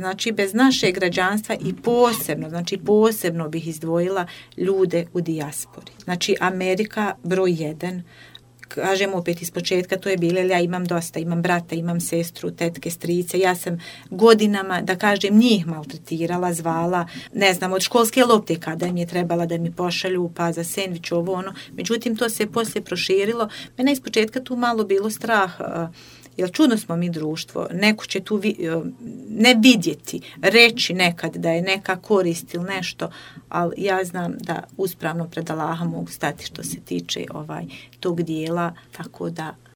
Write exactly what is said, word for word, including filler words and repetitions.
znači bez našeg građanstva i posebno, znači posebno bih izdvojila ljude u dijaspori. Znači Amerika broj jedan, kažem opet iz početka, to je bilo, ja imam dosta, imam brata, imam sestru, tetke, strice, ja sam godinama, da kažem, njih maltretirala, zvala, ne znam, od školske lopte kada im je trebala da mi pošalju, pa za sendvič, ovo ono, međutim, to se poslije proširilo. Mene iz početka tu malo bilo strah, jer čudno smo mi društvo, neko će tu vi, ne vidjeti, reći nekad da je neka korist ili nešto, ali ja znam da uspravno pred Allaha mogu stati što se tiče ovaj tog dijela, tako da